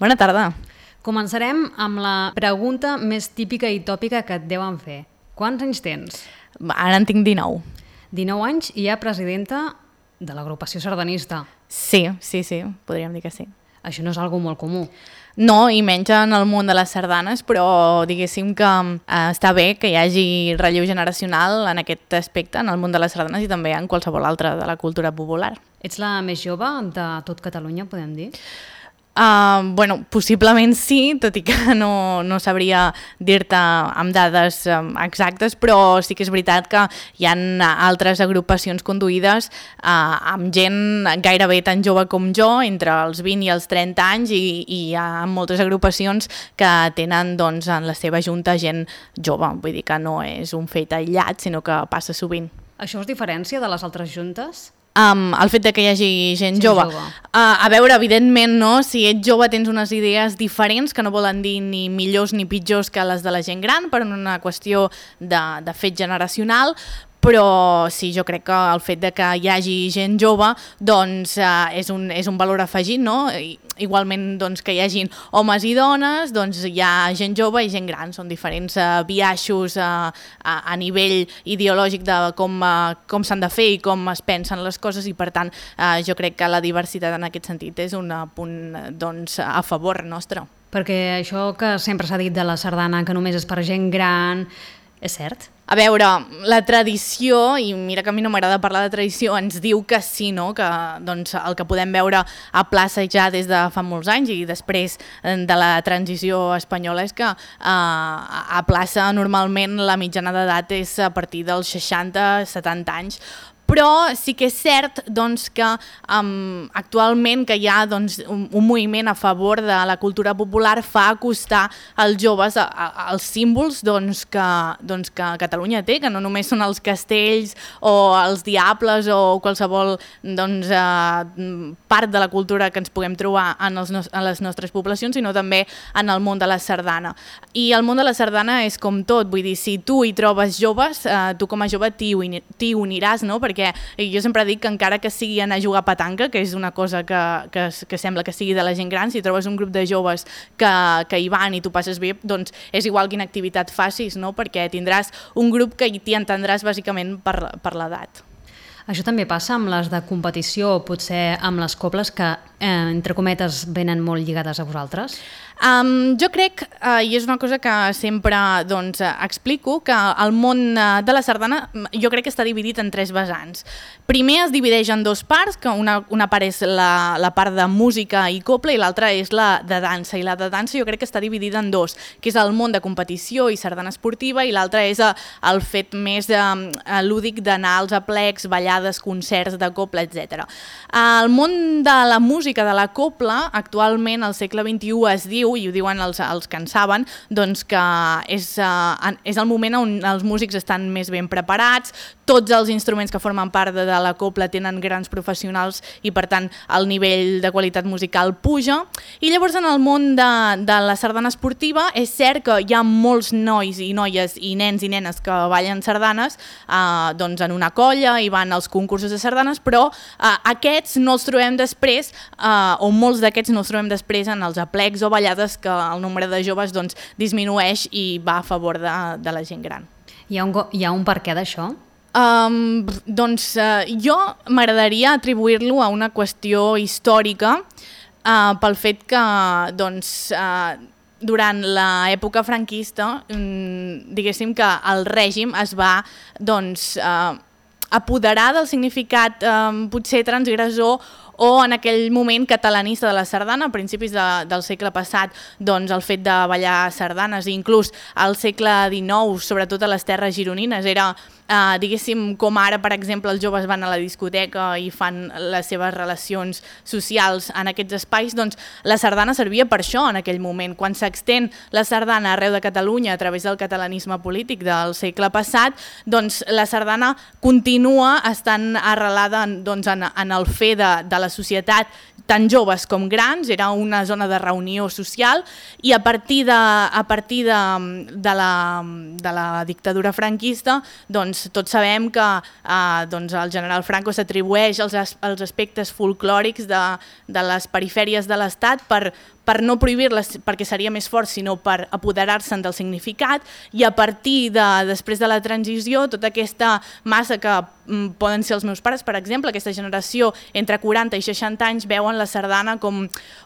Bona tarda. Començarem amb la pregunta més típica i tòpica que et deuen fer. Quants anys tens? Ara en tinc 19. 19 anys i ja presidenta de l'agrupació sardanista. Sí, podríem dir que sí. Això no és algo molt comú. No, i menys en el món de les sardanes, però diguéssim que està bé que hi hagi relleu generacional en aquest aspecte, en el món de les sardanes i també en qualsevol altre de la cultura popular. Ets la més jove de tot Catalunya, podem dir? Possiblement sí, tot i que no sabria dir-te amb dades exactes, però sí que és veritat que hi ha altres agrupacions conduïdes amb gent gairebé tan jove com jo, entre els 20 i els 30 anys, i hi ha moltes agrupacions que tenen doncs, en la seva junta gent jove, vull dir que no és un fet aïllat, sinó que passa sovint. Això es diferencia de les altres juntes? El fet de que hi hagi gent jove. A veure, evidentment, no? Si ets jove tens unes idees diferents que no volen dir ni millors ni pitjors que les de la gent gran per una qüestió de fet generacional, però sí, jo crec que el fet de que hi hagi gent jove doncs, és un valor afegit, no? Igualment doncs, que hi hagin homes i dones, doncs hi ha gent jove i gent gran, són diferents biaixos a nivell ideològic de com s'han de fer i com es pensen les coses, i per tant jo crec que la diversitat en aquest sentit és un punt doncs, a favor nostre. Perquè això que sempre s'ha dit de la sardana, que només és per gent gran, és cert? A veure, la tradició, i mira que a mi no m'agrada parlar de tradició, ens diu que sí, no? Que doncs, el que podem veure a plaça ja des de fa molts anys i després de la transició espanyola és que a plaça normalment la mitjana d'edat és a partir dels 60-70 anys, però sí que és cert doncs, que actualment que hi ha doncs, un moviment a favor de la cultura popular fa acostar els joves als símbols doncs, que Catalunya té, que no només són els castells o els diables o qualsevol doncs, part de la cultura que ens puguem trobar en les nostres poblacions, sinó també en el món de la sardana. I el món de la sardana és com tot, vull dir, si tu hi trobes joves, tu com a jove t'hi uniràs, no? Perquè jo sempre dic que encara que sigui anar a jugar a petanca, que és una cosa que sembla que sigui de la gent gran, si trobes un grup de joves que hi van i tu passes bé, doncs és igual quina activitat facis, no? Perquè tindràs un grup que t'hi entendràs bàsicament per l'edat. Això també passa amb les de competició o potser amb les cobles que, entre cometes, venen molt lligades a vosaltres? Jo crec, i és una cosa que sempre doncs, explico, que el món de la sardana jo crec que està dividit en 3 vessants. Primer es divideix en 2 parts, que una part és la part de música i copla i l'altra és la de dansa. I la de dansa jo crec que està dividida en 2, que és el món de competició i sardana esportiva, i l'altra és el fet més lúdic d'anar als aplecs, ballades, concerts de copla, etc. El món de la música, de la copla, actualment al segle XXI es diu, i ho diuen els que en saben, doncs que és el moment on els músics estan més ben preparats, tots els instruments que formen part de la copla tenen grans professionals i per tant el nivell de qualitat musical puja. I llavors en el món de la sardana esportiva és cert que hi ha molts nois i noies i nens i nenes que ballen sardanes doncs en una colla i van als concursos de sardanes, però aquests no els trobem després, o molts d'aquests no els trobem després en els aplecs o ballades que el nombre de joves doncs, disminueix i va a favor de la gent gran. Hi ha un perquè d'això? Doncs jo m'agradaria atribuir-lo a una qüestió històrica pel fet que doncs, durant l'època franquista diguéssim que el règim es va doncs, apoderar del significat potser transgressor o en aquell moment catalanista de la sardana, a principis del segle passat, doncs el fet de ballar sardanes, i inclús al segle XIX, sobretot a les terres gironines, era, diguéssim, com ara, per exemple, els joves van a la discoteca i fan les seves relacions socials en aquests espais, doncs la sardana servia per això en aquell moment. Quan s'extén la sardana arreu de Catalunya a través del catalanisme polític del segle passat, doncs la sardana continua estant arrelada doncs, en el fer de la societat, tant joves com grans, era una zona de reunió social, i a partir de la dictadura franquista, doncs tots sabem que doncs, el general Franco s'atribueix els aspectes folclòrics de les perifèries de l'Estat per per no prohibir-les perquè seria més fort, sinó per apoderar-se'n del significat, i a partir després de la transició, tota aquesta massa que poden ser els meus pares, per exemple, aquesta generació entre 40 i 60 anys veuen la sardana com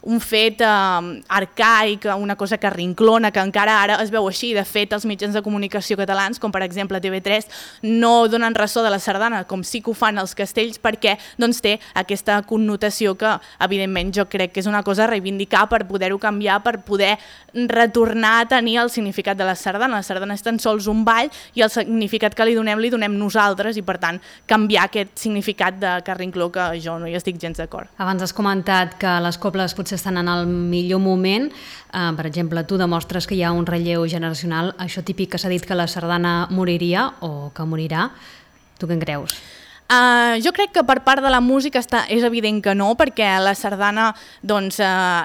un fet arcaic, una cosa que rinclona, que encara ara es veu així. De fet, els mitjans de comunicació catalans, com per exemple TV3, no donen ressò de la sardana, com sí que ho fan els castells, perquè doncs, té aquesta connotació que, evidentment, jo crec que és una cosa a reivindicar per poder-ho canviar, per poder retornar a tenir el significat de la sardana. La sardana és tan sols un ball i el significat que li donem nosaltres, i per tant canviar aquest significat de carrincló, que jo no hi estic gens d'acord. Abans has comentat que les cobles potser estan en el millor moment. Per exemple, tu demostres que hi ha un relleu generacional. Això típic que s'ha dit que la sardana moriria o que morirà. Tu què en creus? Jo crec que per part de la música és evident que no, perquè la sardana doncs,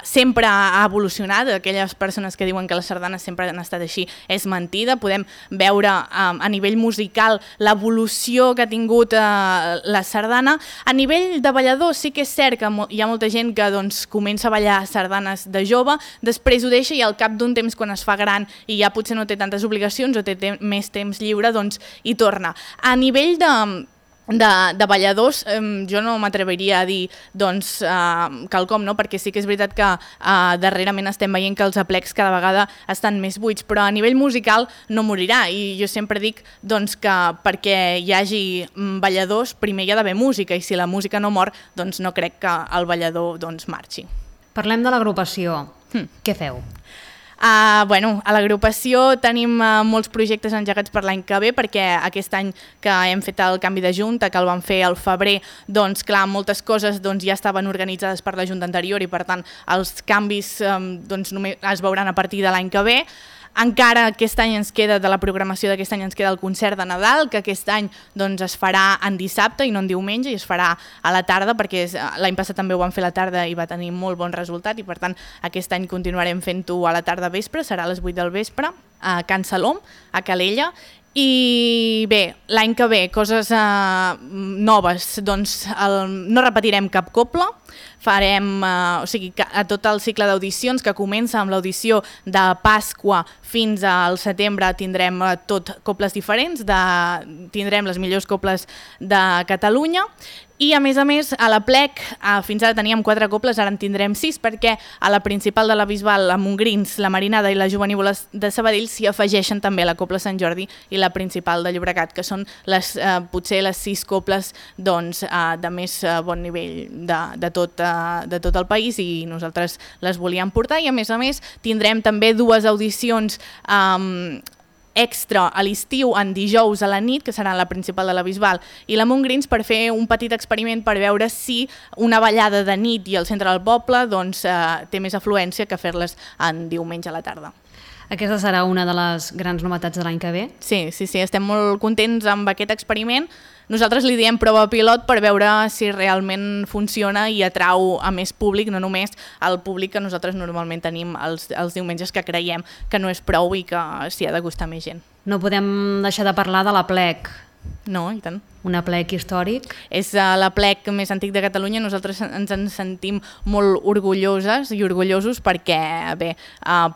sempre ha evolucionat. Aquelles persones que diuen que les sardanes sempre han estat així és mentida. Podem veure a nivell musical l'evolució que ha tingut la sardana. A nivell de ballador sí que és cert que hi ha molta gent que doncs, comença a ballar sardanes de jove, després ho deixa i al cap d'un temps, quan es fa gran i ja potser no té tantes obligacions o té més temps lliure, doncs hi torna. A nivell de balladors, jo no m'atreviria a dir doncs, quelcom, no? Perquè sí que és veritat que darrerament estem veient que els aplecs cada vegada estan més buits, però a nivell musical no morirà, i jo sempre dic doncs, que perquè hi hagi balladors primer hi ha d'haver música, i si la música no mor, doncs no crec que el ballador doncs, marxi. Parlem de l'agrupació. Què feu? Bueno, a l'agrupació tenim molts projectes engegats per l'any que ve, perquè aquest any que hem fet el canvi de junta, que el vam fer al febrer, doncs clar, moltes coses doncs, ja estaven organitzades per la junta anterior, i per tant els canvis doncs, només es veuran a partir de l'any que ve. Encara aquest any ens queda, de la programació d'aquest any ens queda el concert de Nadal, que aquest any doncs, es farà en dissabte i no en diumenge, i es farà a la tarda, perquè l'any passat també ho vam fer a la tarda i va tenir molt bon resultat, i per tant aquest any continuarem fent-ho a la tarda vespre, serà a les 8 del vespre, a Can Salom, a Calella. I bé, l'any que ve, coses noves, doncs no repetirem cap copla, farem o sigui, a tot el cicle d'audicions, que comença amb l'audició de Pasqua fins al setembre, tindrem tot coples diferents, tindrem les millors coples de Catalunya. I a més, a la plec, fins ara teníem 4 coples, ara en tindrem 6, perquè a la principal de la Bisbal, la Montgrins, la Marinada i la Jovenívola de Sabadell s'hi afegeixen també la Copla Sant Jordi i la principal de Llobregat, que són potser les 6 coples doncs, de més bon nivell de tot el país, i nosaltres les volíem portar. I a més tindrem també 2 audicions extra a l'estiu, en dijous a la nit, que serà la principal de la Bisbal i la Montgrins, per fer un petit experiment per veure si una ballada de nit i al centre del poble doncs, té més afluència que fer-les en diumenge a la tarda. Aquesta serà una de les grans novetats de l'any que ve? Sí, estem molt contents amb aquest experiment. Nosaltres li diem prova pilot per veure si realment funciona i atrau a més públic, no només el públic que nosaltres normalment tenim els diumenges, que creiem que no és prou i que s'hi ha de gustar més gent. No podem deixar de parlar de la plec. No, i tant. Un aplec històric. És l'aplec més antic de Catalunya. Nosaltres ens en sentim molt orgulloses i orgullosos perquè bé,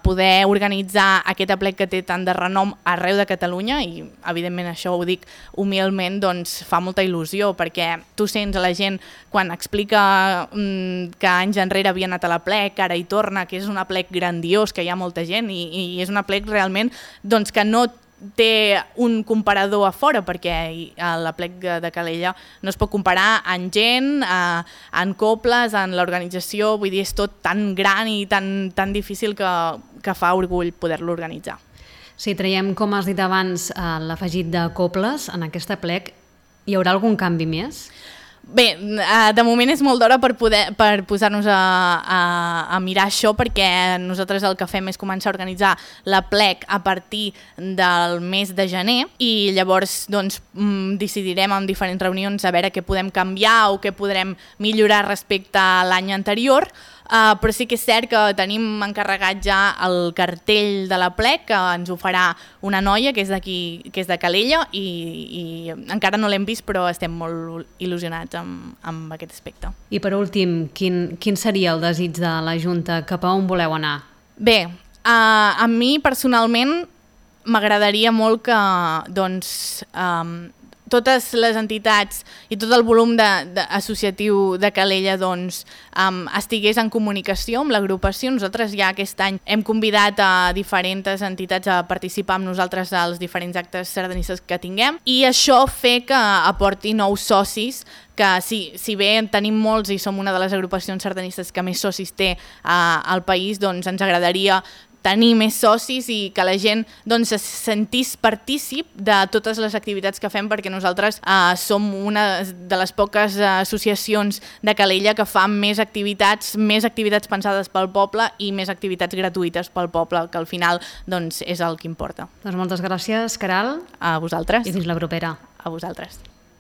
poder organitzar aquest aplec que té tant de renom arreu de Catalunya, i evidentment això ho dic humilment, doncs fa molta il·lusió, perquè tu sents a la gent quan explica que anys enrere havia anat a l'aplec, ara hi torna, que és un aplec grandiós, que hi ha molta gent, i és un aplec realment doncs, que no té un comparador a fora, perquè l'aplec de Calella no es pot comparar en gent, en coples, en l'organització, vull dir, és tot tan gran i tan difícil que fa orgull poder-lo organitzar. Si traiem, com has dit abans, l'afegit de coples en aquest aplec, hi haurà algun canvi més? Bé, de moment és molt d'hora per posar-nos a mirar això, perquè nosaltres el que fem és començar a organitzar l'aplec a partir del mes de gener, i llavors doncs, decidirem en diferents reunions a veure què podem canviar o què podrem millorar respecte a l'any anterior. però sí que és cert que tenim encarregat ja el cartell de l'Aplec, que ens ho farà una noia que és d'aquí, que és de Calella, i encara no l'hem vist, però estem molt il·lusionats amb aquest aspecte. I per últim, quin seria el desig de la Junta? Cap a on voleu anar? Bé, a mi personalment m'agradaria molt que totes les entitats i tot el volum associatiu de Calella estigués en comunicació amb l'agrupació. Nosaltres ja aquest any hem convidat a diferents entitats a participar amb nosaltres als diferents actes sardanistes que tinguem, i això fer que aporti nous socis, que si bé en tenim molts i som una de les agrupacions sardanistes que més socis té al país, doncs ens agradaria tenir més socis i que la gent se sentís partícip de totes les activitats que fem, perquè nosaltres som una de les poques associacions de Calella que fa més activitats pensades pel poble i més activitats gratuïtes pel poble, que al final és el que importa. Doncs moltes gràcies, Queralt. A vosaltres. I fins la propera. A vosaltres.